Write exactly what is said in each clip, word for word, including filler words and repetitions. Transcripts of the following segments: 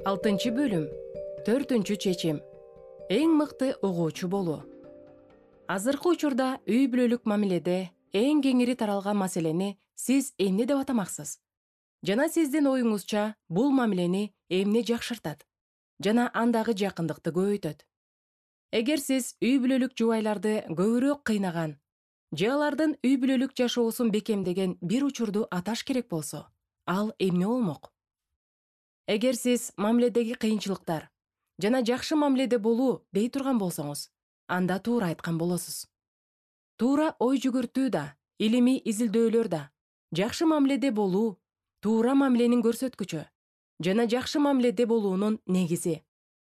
Алтынчы бөлүм. Төртүнчү чечим. Эң мыкты угуучу болуу. Азыркы учурда үй бүлөлүк мамиледе эң кеңири таралган маселени сиз эмне деп атамаксыз? Жана сиздин оюңузча бул мамилени эмне жакшыртат жана андагы жакындыкты көбөйтөт? Эгер сиз үй бүлөлүк жубайларды көбүрөөк кыйнаган же алардын үй бүлөлүк жашоосун бекемдеген бир учурду аташ керек болсо, ал эмне болмок? Эгер сиз мамиледеги кыйынчылыктар жана жакшы мамиледе болуу дей турган болсоңуз, анда туура айткан болосуз. Туура ой жүгүртүү да, илимий изилдөөлөр да жакшы мамиледе болуу туура мамиленин көрсөткүчү жана жакшы мамиледе болуунун негизи,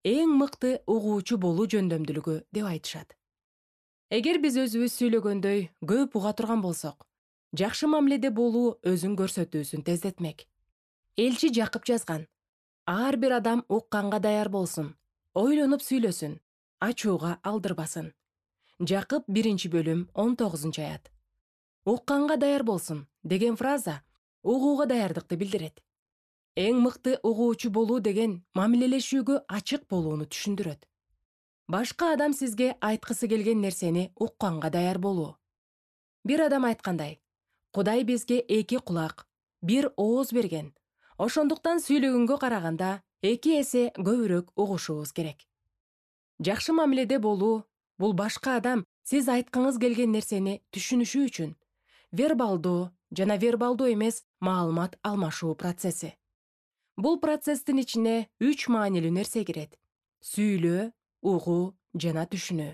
эң мыкты угуучу болуу жөндөмдүүлүгү деп айтышат. Эгер биз өзүбүз сүйлөгөндөй көп уга турган болсок, жакшы мамиледе болуу өзүн көрсөтүүсүн тездетмек. Элчи Жакып жазган: ар бир адам укканга даяр болсун, ойлонуп сүйлөсүн, ачууга алдырбасын. Жакып биринчи бөлүм он тогузунчу аят. Укканга даяр болсун деген фраза угууга даярдыкты билдирет. Эң мыкты угуучу болуу деген мамилелешүүгө ачык болууну түшүндүрөт. Башка адам сизге айткысы келген нерсени укканга даяр болуу. Бир адам айткандай: Кудай бизге эки кулак, бир ооз берген. Ошондуктан сүйлөгөнгө караганда эки эсе көбүрөөк угушубуз керек. Жакшы мамиледе болуу — бул башка адам сиз айткыңыз келген нерсени түшүнүшү үчүн вербалдуу жана вербалдуу эмес маалымат алмашуу процесси. Бул процесстин ичине үч маанилүү нерсе кирет: сүйлөө, угуу жана түшүнүү.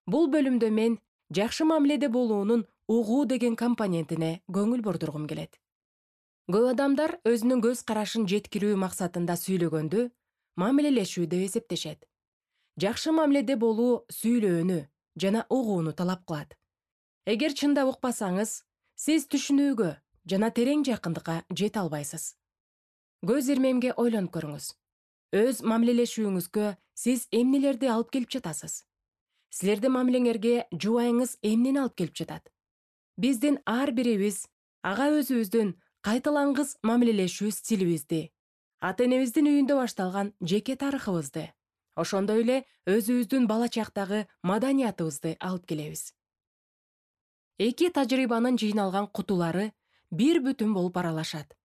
Бул бөлүмдө мен жакшы мамиледе болуунун угуу деген компонентине көңүл бурдургум келет. Көп адамдар өзүнүн көз карашын жеткирүү максатында сүйлөгөндү мамилелешүү деп эсептешет. Жакшы мамиледе болуу сүйлөөнү жана угууну талап кылат. Эгер чындап укпасаңыз, сиз түшүнүүгө жана терең жакындыкка жете албайсыз. Көз ирмемге ойлонуп көрүңүз. Өз мамилелешүүңүзгө сиз эмнелерди алып келип жатасыз? Силердин мамилеңерге жубайыңыз эмнени алып келип жатат? Биздин ар бирибиз ага өзүбүздүн кайталангыс мамилелешүү стилибизди, ата-энебиздин үйүндө башталган жеке тарыхыбызды, ошондой эле өзүбүздүн бала чактагы маданиятыбызды алып келебиз. Эки тажрыйбанын жыйналган кутулары бир бүтүн болуп аралашат.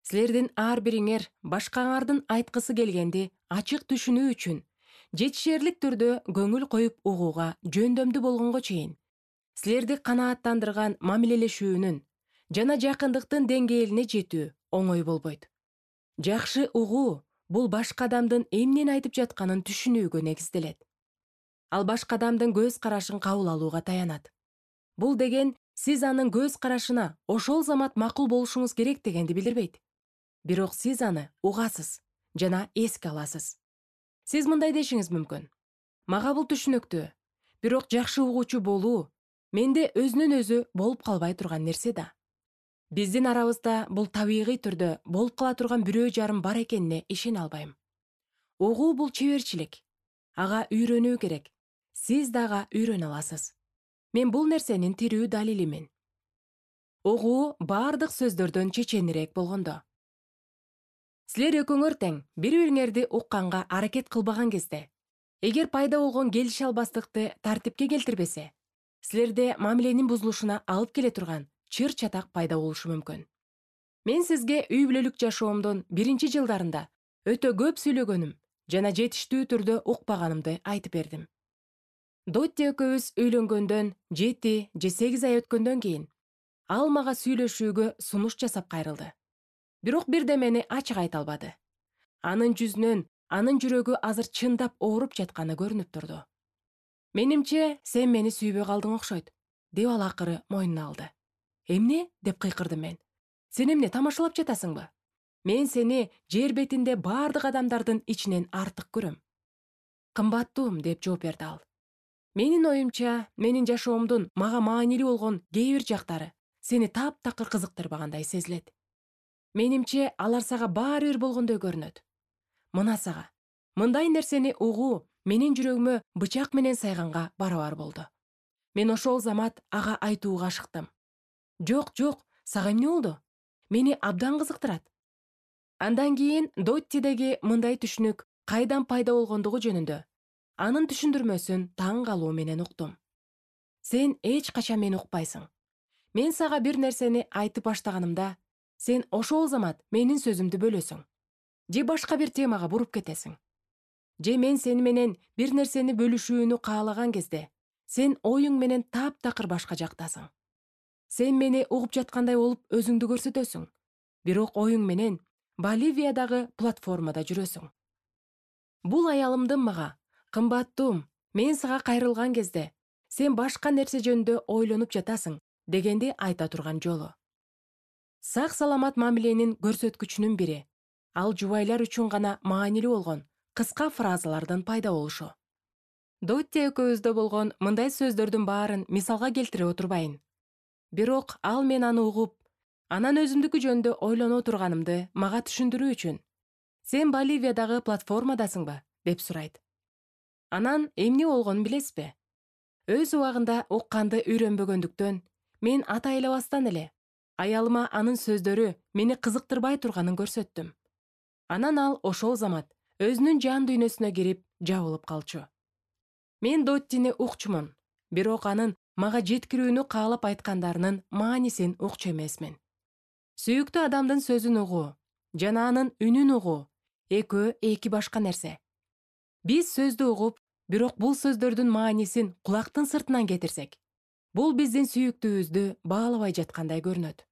Силердин ар бириңер башкаңардын айткысы келгенди ачык түшүнүү үчүн жетишерлик түрдө көңүл коюп угууга жөндөмдүү болгонго чейин силерди канааттандырган мамилелешүүнүн жана жакындыктын деңгээлине жетүү оңой болбойт. Жакшы угуу бул башка адамдын эмнени айтып жатканын түшүнүүгө негизделет. Ал башка адамдын көз карашын кабыл алууга таянат. Бул деген сиз анын көз карашына ошол замат макул болушуңуз керек дегенди билдирбейт. Бирок сиз аны угасыз жана эске аласыз. Сиз мындай дешиңиз мүмкүн: мага бул түшүнүктүү, бирок жакшы угуучу болуу менде өзүнөн өзү болуп калбай турган нерсе да. Биздин арабызда бул табигый түрдө болуп кала турган бирөө жарым бар экенине ишене албайм. Угуу бул чеберчилик. Ага үйрөнүү керек. Сиз дагы үйрөнө аласыз. Мен бул нерсенин тирүү далилимин. Угуу бардык сөздөрдөн чеченирээк болгондо. Силер экөөңөр тең бири-бириңерди укканга аракет кылбаган кезде, эгер пайда болгон келише албастыкты тартипке келтирбесе, силерде мамиленин бузулушуна алып келе турган чыр-чатак пайда болушу мүмкүн. Мен сизге үй бүлөлүк жашоомдун биринчи жылдарында өтө көп сүйлөгөнүм жана жетиштүү түрдө укпаганымды айтып бердим. Дотти экөөбүз үйлөнгөндөн жети же сегиз ай өткөндөн кийин ал мага сүйлөшүүгө сунуш жасап кайрылды. Бирок бирдемени ачык айта албады. Анын жүзүнөн анын жүрөгү азыр чындап ооруп жатканы көрүнүп турду. Менимче, сен мени сүйбөй калдың окшойт, деп ал акыры мойнуна алды. Эмне? Деп кыйкырдым мен. Сен эмне тамашалап жатасыңбы? Мен сени жер бетинде бардык адамдардын ичинен артык көрөм. Кымбаттуум, деп жооп берди ал. Менин оюмча, менин жашоомдун мага маанилүү болгон кээ бир жактары сени таптакыр кызыктырбагандай сезилет. Менимче, алар сага баары бир болгондой көрүнөт. Мына сага. Мындай нерсени угуу менин жүрөгүмө бычак менен сайганга барабар болду. Мен ошол замат ага айтууга ашыктым. Жок, жок, сага эмне болду? Мени абдан кызыктырат. Андан кийин Доттидеги мындай түшүнүк кайдан пайда болгондугу жөнүндө анын түшүндүрмөсүн таң калуу менен уктум. Сен эч качан мени укпайсың. Мен сага бир нерсени айтып баштаганымда, сен ошол замат менин сөзүмдү бөлөсүң. Же башка бир темага буруп кетесиң. Же мен сени менен бир нерсени бөлүшүүнү каалаган кезде, сен оюң менен таптакыр башка жактасың. Сен мени угуп жаткандай болуп өзүңдү көрсөтөсүң, бирок оюң менен Боливиядагы платформада жүрөсүң. Бул аялымдын мага, кымбаттуум, мен сага кайрылган кезде, сен башка нерсе жөнүндө ойлонуп жатасың, дегенди айта турган жолу. Сак саламат мамиленин көрсөткүчүнүн бири, ал жубайлар үчүн гана маанилүү болгон кыска фразалардын пайда болушу. Дотти экөөбүздө болгон мындай сөздөрдүн баарын мисалга келтире отурбайын. Бирок ал мен аны угуп, анан өзүмдүкү жөнүндө ойлоно турганымды мага түшүндүрүү үчүн «Сен Боливиядагы платформадасыңбы?» деп сурайт. Анан эмне болгонун билесизби? Өз убагында укканды үйрөнбөгөндүктөн мен атайлабастан эле аялыма анын сөздөрү мени кызыктырбай турганын көрсөттүм. Анан ал ошол замат өзүнүн жан дүйнөсүнө кирип жабылып калчу. Мен Доттини укчумун, бирок анын мага жеткирүүнү каалап айткандарынын маанисин укчу эмесмин. Сүйүктүү адамдын сөзүн угуу жана анын үнүн угуу экөө эки башка нерсе. Биз сөздү угуп, бирок бул сөздөрдүн маанисин кулактын сыртынан кетирсек, бул биздин сүйүктүүбүздү баалабай жаткандай көрүнөт.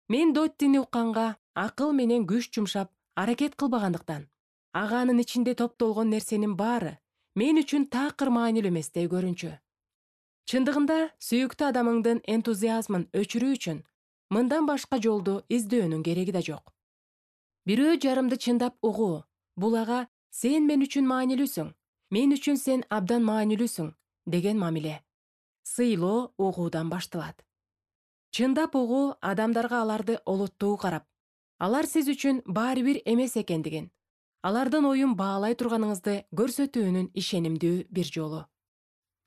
Мен Доттини укканга акыл менен күч жумшап аракет кылбагандыктан, ага анын ичинде топтолгон нерсенин баары мен үчүн такыр маанилүү эместей көрүнчү. Чындыгында сүйүктүү адамыңдын энтузиазмын өчүрүү үчүн мындан башка жолду издөөнүн кереги да жок. Бирөө жарымды чындап угуу, бул ага «Сен мен үчүн маанилүүсүң, мен үчүн сен абдан маанилүүсүң» деген мамиле. Сыйлоо угуудан башталат. Чындап угуу адамдарга аларды олоттуу карап, алар сиз үчүн баары бир эмес экендигин, алардын оюн баалай турганыңызды көрсөтүүнүн ишенимдүү бир жолу.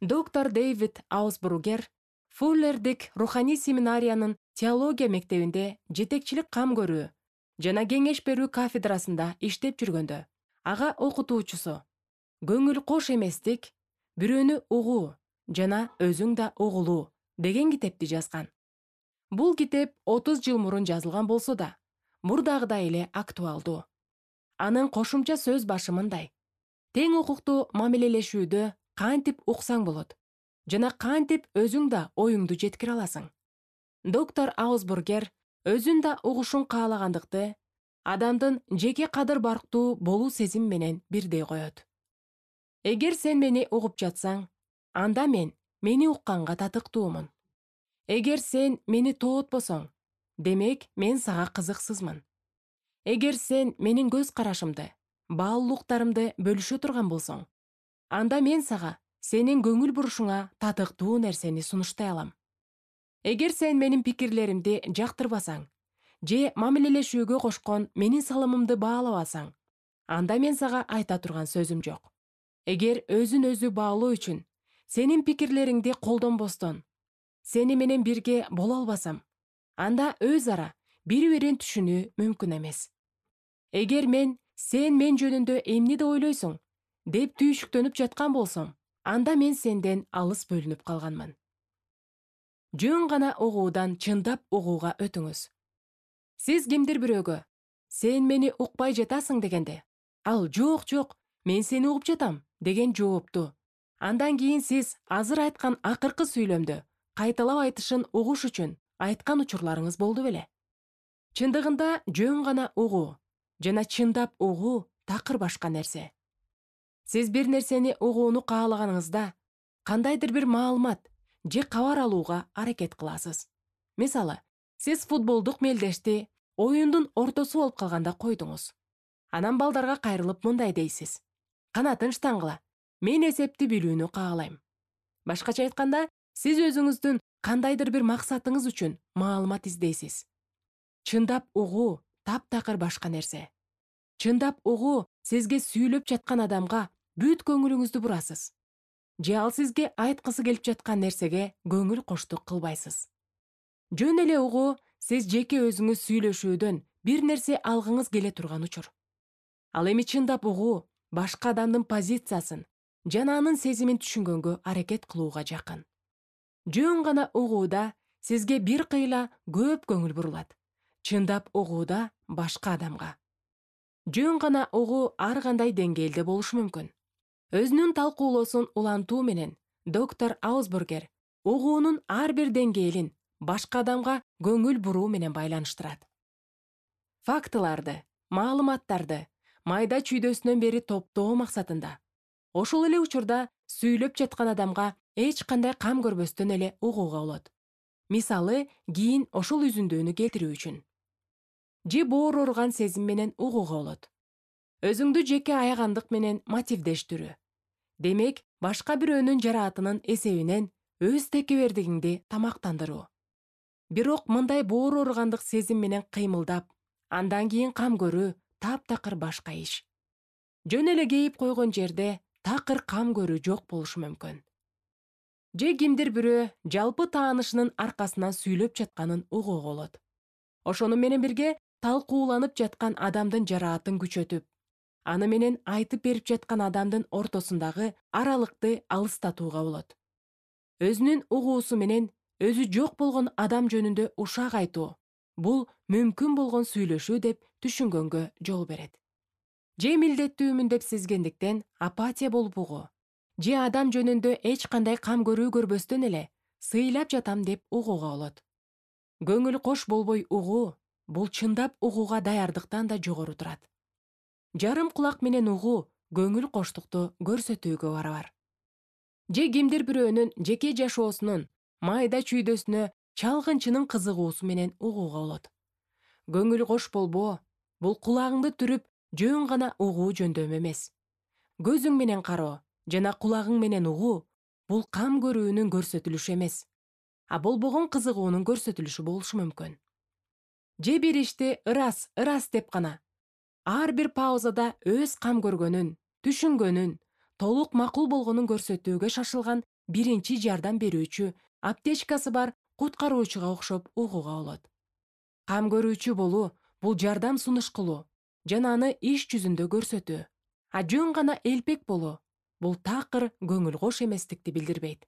Доктор Дэвид Аусбургер Фуллердик руханий семинариянын теология мектебинде жетекчилик кам көрүү жана кеңеш берүү кафедрасында иштеп жүргөндө, ага окутуучусу «Көңүл кош эместик, бирөөнү угуу жана өзүң да угулуу» деген китепти жазган. Бул китеп отуз жыл мурун жазылган болсо да, мурдагыдай эле актуалдуу. Анын кошумча сөз башы мындай: тең укуктуу мамилелешүүдө кантип уксаң болот жана кантип өзүң да оюңду жеткире аласың. Доктор Аусбургер өзүн да угушун каалагандыкты адамдын жеке кадыр барктуу болуу сезим менен бирдей коет. Эгер сен мени угуп жатсаң, анда мен мени укканга татыктуумун. Эгер сен мени тоотпосоң, демек мен сага кызыксызмын. Эгер сен менин көз карашымды, баалуулуктарымды бөлүшө турган болсоң, анда мен сага сенин көңүл бурушуңа татыктуу нерсени сунуштай алам. Эгер сен менин пикирлеримди жактырбасаң, же мамилелешүүгө кошкон менин салымымды баалабасаң, анда мен сага айта турган сөзүм жок. Эгер өзүн өзү баалоо үчүн сенин пикирлериңди колдонбостон, сени менен бирге боло албасам, анда өз ара бири-бирин түшүнүү мүмкүн эмес. Эгер мен «Сен мен жөнүндө эмнеди ойлойсуң?» деп түйшүктөнүп жаткан болсом, анда мен сенден алыс бөлүнүп калганмын. Жөн гана угуудан чындап угууга өтүңүз. Сиз кимдир бирөөгө «Сен мени укпай жатасың» дегенде, ал «Жок, жок, мен сени угуп жатам» деген жоопту, андан кийин сиз азыр айткан акыркы сүйлөмдү кайталап айтышын угуш үчүн айткан учурларыңыз болду беле? Чындыгында жөн гана угуу жана чындап угуу такыр башка нерсе. Сиз бир нерсени угууну каалаганыңызда кандайдыр бир маалымат же кабар алууга аракет кыласыз. Мисалы, сиз футболдук мелдешти оюндун ортосу болуп калганда койдуңуз. Анан балдарга кайрылып мындай дейсиз: «Канатын штангыла, мен эсепти билүүнү каалайм». Башкача айтканда, сиз өзүңүздүн кандайдыр бир максатыңыз үчүн маалымат издейсиз. Чындап угуу таптакыр башка нерсе. Чындап угуу сизге сүйлөп жаткан адамга бүт көңүлүңүздү бурасыз. Же ал сизге айткысы келип жаткан нерсеге көңүл коштук кылбайсыз. Жөн эле угуу сиз жеке өзүңүз сүйлөшүүдөн бир нерсе алгыңыз келе турган учур. Ал эми чындап угуу башка адамдын позициясын жана анын сезимин түшүнгөнгө аракет кылууга жакын. Жөн гана угууда сизге бир кыйла көп көңүл бурулат. Чындап угууда башка адамга. Жөн гана угуу ар кандай деңгээлде болушу мүмкүн. Өзүнүн талкуулоосун улантуу менен доктор Аусбургер угуунун ар бир деңгээлин башка адамга көңүл буруу менен байланыштырат. Фактыларды, маалыматтарды майда чүйдөсүнөн бери топтоо максатында, ошол эле учурда сүйлөп жаткан адамга эч кандай кам көрбөстөн эле угууга болот. Мисалы, кийин ошол үзүндүүнү келтирүү үчүн. Же боор ооруган сезим менен угууга болот. Өзүңдү жеке аягандык менен мотивдештирүү. Демек, башка бирөөнүн жараатынын эсебинен өз текебердигиңди тамактандыруу. Бирок мындай боор ооругандык сезим менен кыймылдап, андан кийин кам көрүү таптакыр башка иш. Жөн эле кейип койгон жерде такыр кам көрүү жок болушу мүмкүн. Же кимдир бирөө жалпы таанышынын аркасынан сүйлөп жатканын угууга болот. Ошону менен бирге талкууланып жаткан адамдын жараатын күчөтүп, аны менен айтып берип жаткан адамдын ортосундагы аралыкты алыстатууга болот. Өзүнүн угуусу менен өзү жок болгон адам жөнүндө ушак айтуу бул мүмкүн болгон сүйлөшүү деп түшүнгөнгө жол берет. Же милдеттүүмүн деп сезгендиктен апатия болуп угуу. Же адам жөнүндө эч кандай кам көрүү көрбөстөн эле сыйлап жатам деп угууга болот. Көңүл кош болбой угуу бул чындап угууга даярдыктан да жогору турат. Жарым кулак менен угуу көңүл коштукту көрсөтүүгө барабар. Же кимдир бирөөнүн жеке жашоосунун майда чүйдөсүнө чалгынчынын кызыгуусу менен угууга болот. Көңүл кош болбоо бул кулагыңды түрүп жөн гана угуу жөндөмү эмес. Көзүң менен кароо жана кулагың менен угуу бул кам көрүүнүн көрсөтүлүшү эмес, а болбогон кызыгуунун көрсөтүлүшү болушу мүмкүн. Же бир ишти ырас, ырас деп гана ар бир паузада өз кам көргөнүн, түшүнгөнүн, толук макул болгонун көрсөтүүгө шашылган биринчи жардам берүүчү, аптечкасы бар куткаруучуга окшоп угууга болот. Кам көрүүчү болуу бул жардам сунуш кылуу жана аны иш жүзүндө көрсөтүү. А жөн гана элпек болуу бул такыр көңүл кош эместикти билдирбейт.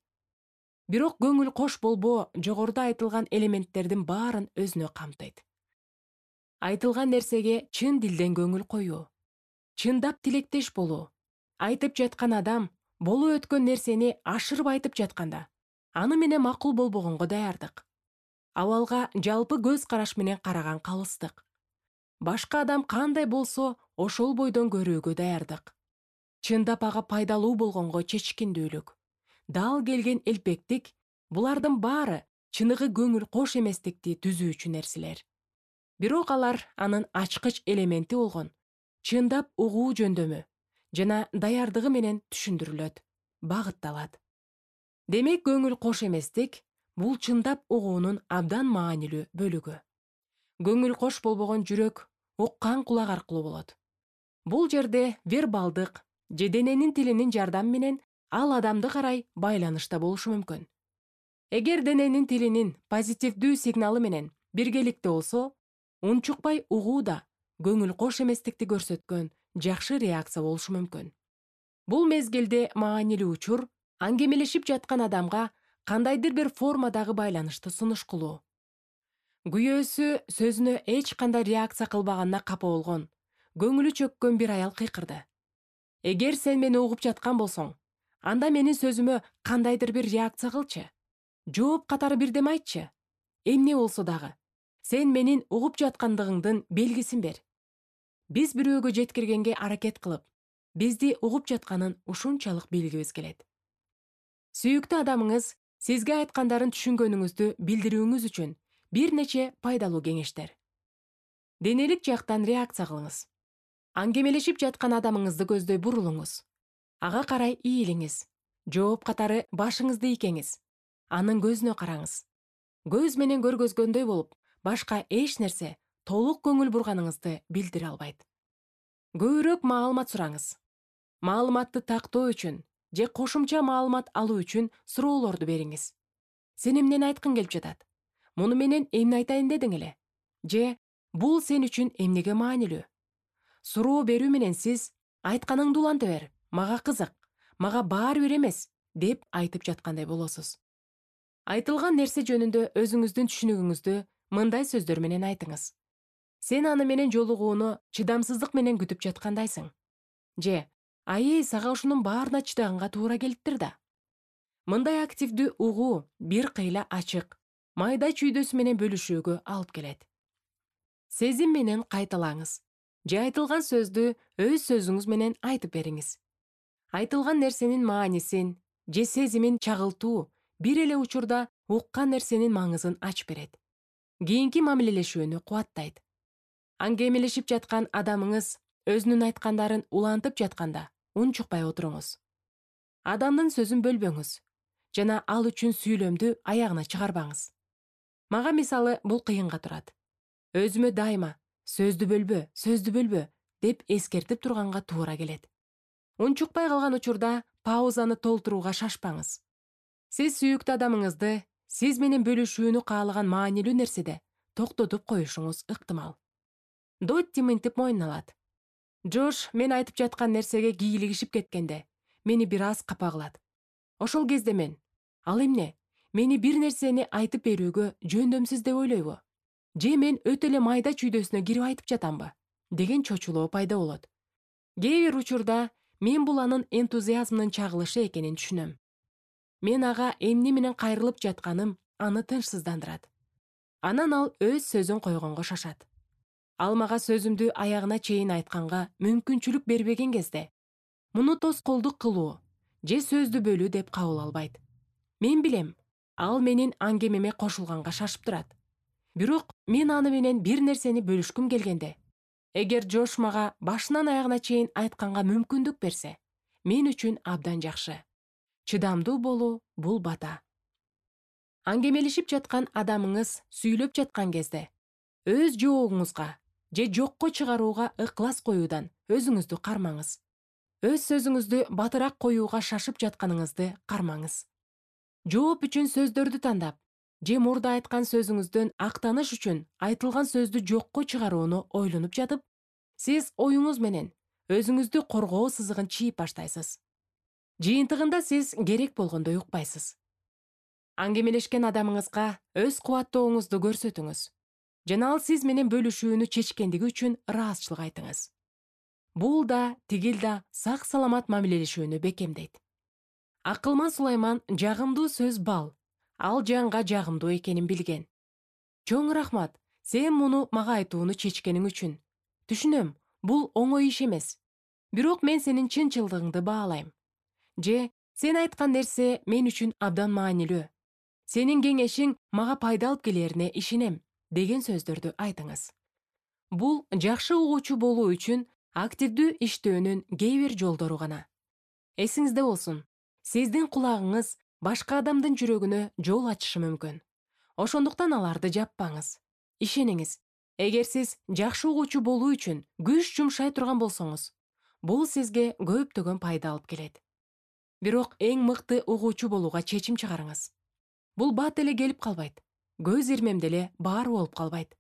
Бирок көңүл кош болбоо жогоруда айтылган элементтердин баарын өзүнө камтыйт. Айтылган нерсеге чын дилден көңүл коюу, чындап тилектеш болуу, айтып жаткан адам болуп өткөн нерсени ашырып айтып жатканда, аны менен макул болбогонго даярдык. Абалга жалпы көз караш менен караган калыстык. Башка адам кандай болсо, ошол бойдон көрүүгө даярдык. Чындап ага пайдалуу болгонго чечкиндүүлүк, дал келген элпектик, булардын баары чыныгы көңүл кош эместикти түзүүчү нерселер. Бирок алар анын ачкыч элементи болгон чындап угуу жөндөмү жана даярдыгы менен түшүндүрүлөт, багытталат. Демек, көңүл кош эместик бул чындап угуунун абдан маанилүү бөлүгү. Көңүл кош болбогон жүрөк уккан кулак аркылуу болот. Бул жерде вербалдык же дененин тилинин жардамы менен ал адамды карай байланышта болушу мүмкүн. Эгер дененин тилинин позитивдүү сигналы менен биргеликте болсо, унчукпай угуу да көңүл кош эместикти көрсөткөн жакшы реакция болушу мүмкүн. Бул мезгилде маанилүү учур аңгемелешип жаткан адамга кандайдыр бир формадагы байланышты сунуш кылуу. Күйөөсү сөзүнө эч кандай реакция кылбаганына капа болгон, көңүлү чөккөн бир аял кыйкырды. Эгер сен мени угуп жаткан болсоң, анда менин сөзүмө кандайдыр бир реакция кылчы. Жооп катары бирдеме айтчы. Эмне болсо дагы, сен менин угуп жаткандыгыңдын белгисин бер. Биз бирөөгө жеткиргенге аракет кылып, бизди угуп жатканын ушунчалык билгибиз келет. Сүйүктүү адамыңыз сизге айткандарын түшүнгөнүңүздү билдирүүңүз үчүн бир нече пайдалуу кеңештер. Денелик жактан реакция кылыңыз. Аңгемелешип жаткан адамыңызды көздөй бурулуңуз. Ага карай ийилиңиз. Жооп катары башыңызды ийкеңиз. Анын көзүнө караңыз. Көз менен көргөзгөндөй болуп, башка эч нерсе толук көңүл бурганыңызды билдире албайт. Көбүрөөк маалымат сураңыз. Маалыматты тактоо үчүн же кошумча маалымат алуу үчүн суроолорду бериңиз. Сен эмнени айткың келип жатат? Муну менен эмне айтайын дедиң эле? Же Бул сен үчүн эмнеге маанилүү? Суроо берүү менен сиз айтканыңды уланта бер, мага кызык, мага баары бир эмес деп айтып жаткандай болосуз. Айтылган нерсе жөнүндө өзүңүздүн түшүнүгүңүздү мындай сөздөр менен айтыңыз. Сен аны менен жолугууну чыдамсыздык менен күтүп жаткандайсың. Же, айы сага ушунун баарына чыдаганга туура келиптир да. Мындай активдүү угуу бир кыйла ачык, майда чүйдөсү менен бөлүшүүгө алып келет. Сезим менен кайталаңыз. Же айтылган сөздү өз сөзүңүз менен айтып бериңиз. Айтылган нерсенин маанисин же сезимин чагылтуу бир эле учурда уккан нерсенин маңызын ачып берет. Кийинки мамилелешүүнү кубаттайт. Аңгемелешип жаткан адамыңыз өзүнүн айткандарын улантып жатканда унчукпай отуруңуз. Адамдын сөзүн бөлбөңүз жана ал үчүн сүйлөмдү аягына чыгарбаңыз. Мага мисалы бул кыйынга турат. Өзүмө дайыма сөздү бөлбө, сөздү бөлбө деп эскертип турганга туура келет. Унчукпай калган учурда паузаны толтурууга шашпаңыз. Сиз сүйүктүү адамыңызды сиз менен бөлүшүүнү каалаган маанилүү нерседе токтотуп коюшуңуз ыктымал. Дотти мынтип мойнуна алат. Джош мен айтып жаткан нерсеге кийлигишип кеткенде мени бир аз капа кылат. Ошол кезде мен, ал эмне, мени бир нерсени айтып берүүгө жөндөмсүз деп ойлойбу? Же мен өтө эле майда чүйдөсүнө кирип айтып жатамбы? Деген чочулоо пайда болот. Кээ бир учурда мен бул анын энтузиазмынын чагылышы экенин түшүнөм. Мен ага эмне менен кайрылып жатканым аны тынчсыздандырат. Анан ал өз сөзүн койгонго шашат. Ал мага сөзүмдү аягына чейин айтканга мүмкүнчүлүк бербеген кезде муну тоскоолдук кылуу же сөздү бөлүү деп кабыл албайт. Мен билем, ал менин аңгемеме кошулганга шашып турат. Бирок мен аны менен бир нерсени бөлүшкүм келгенде, эгер Джош мага башынан аягына чейин айтканга мүмкүндүк берсе, мен үчүн абдан жакшы. Чыдамдуу болуу бул бата. Аңгемелешип жаткан адамыңыз сүйлөп жаткан кезде өз жообуңузга же жокко чыгарууга ыклас коюудан өзүңүздү кармаңыз. Өз сөзүңүздү батыраак коюуга шашып жатканыңызды кармаңыз. Жооп үчүн сөздөрдү тандап, же мурда айткан сөзүңүздөн актаныш үчүн айтылган сөздү жокко чыгарууну ойлонуп жатып, сиз оюңуз менен өзүңүздү коргоо сызыгын чийип баштайсыз. Жыйынтыгында сиз керек болгондой укпайсыз. Аңгемелешкен адамыңызга өз кубаттооңузду көрсөтүңүз. Жана ал сиз менен бөлүшүүнү чечкендиги үчүн ыраазычылык айтыңыз. Бул да, тигил да сак саламат мамилелешүүнү бекемдейт. Акылман Сулайман жагымдуу сөз бал, ал жанга жагымдуу экенин билген. Чоң рахмат, сен муну мага айтууну чечкениң үчүн. Түшүнөм, бул оңой иш эмес. Бирок мен сенин чынчылдыгыңды баалайм. Же, сен айткан нерсе мен үчүн абдан маанилүү. Сенин кеңешиң мага пайда алып келерине ишенем деген сөздөрдү айтыңыз. Бул жакшы угуучу болуу үчүн активдүү иштөөнүн кээ бир жолдору гана. Эсиңизде болсун, сиздин кулагыңыз башка адамдын жүрөгүнө жол ачышы мүмкүн. Ошондуктан аларды жаппаңыз. Ишениңиз, эгер сиз жакшы угуучу болуу үчүн күч жумшай турган болсоңуз, бул сизге көптөгөн пайда алып келет. Бирок эң мыкты угуучу болууга чечим чыгарыңыз. Бул бат эле келип калбайт. Көз ирмемде эле баары болуп калбайт.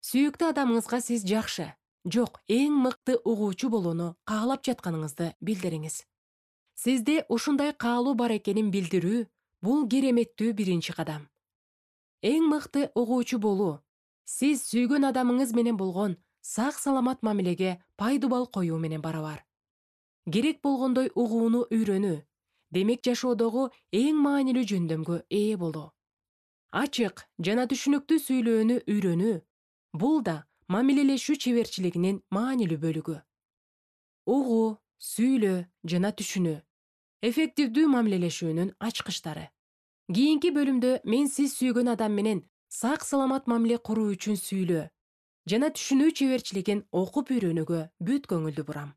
Сүйүктүү адамыңызга сиз жакшы, жок, эң мыкты угуучу болууну каалап жатканыңызды билдириңиз. Сизде ушундай каалоо бар экенин билдирүү бул кереметтүү биринчи кадам. Эң мыкты угуучу болуу сиз сүйгөн адамыңыз менен болгон сак саламат мамилеге пайдубал коюу менен барабар. Керек болгондой угууну үйрөнүү, демек жашоодогу эң маанилүү жөндөмгө ээ болуу. Ачык жана түшүнүктүү сүйлөөнү үйрөнүү бул да мамилелешүү чеберчилигинин маанилүү бөлүгү. Угуу, сүйлөө жана түшүнүү эффективдүү мамилелешүүнүн ачкычтары. Кийинки бөлүмдө мен сиз сүйгөн адам менен сак саламат мамиле куруу үчүн сүйлөө жана түшүнүү чеберчилигин окуп үйрөнүүгө бүт көңүлдү бурам.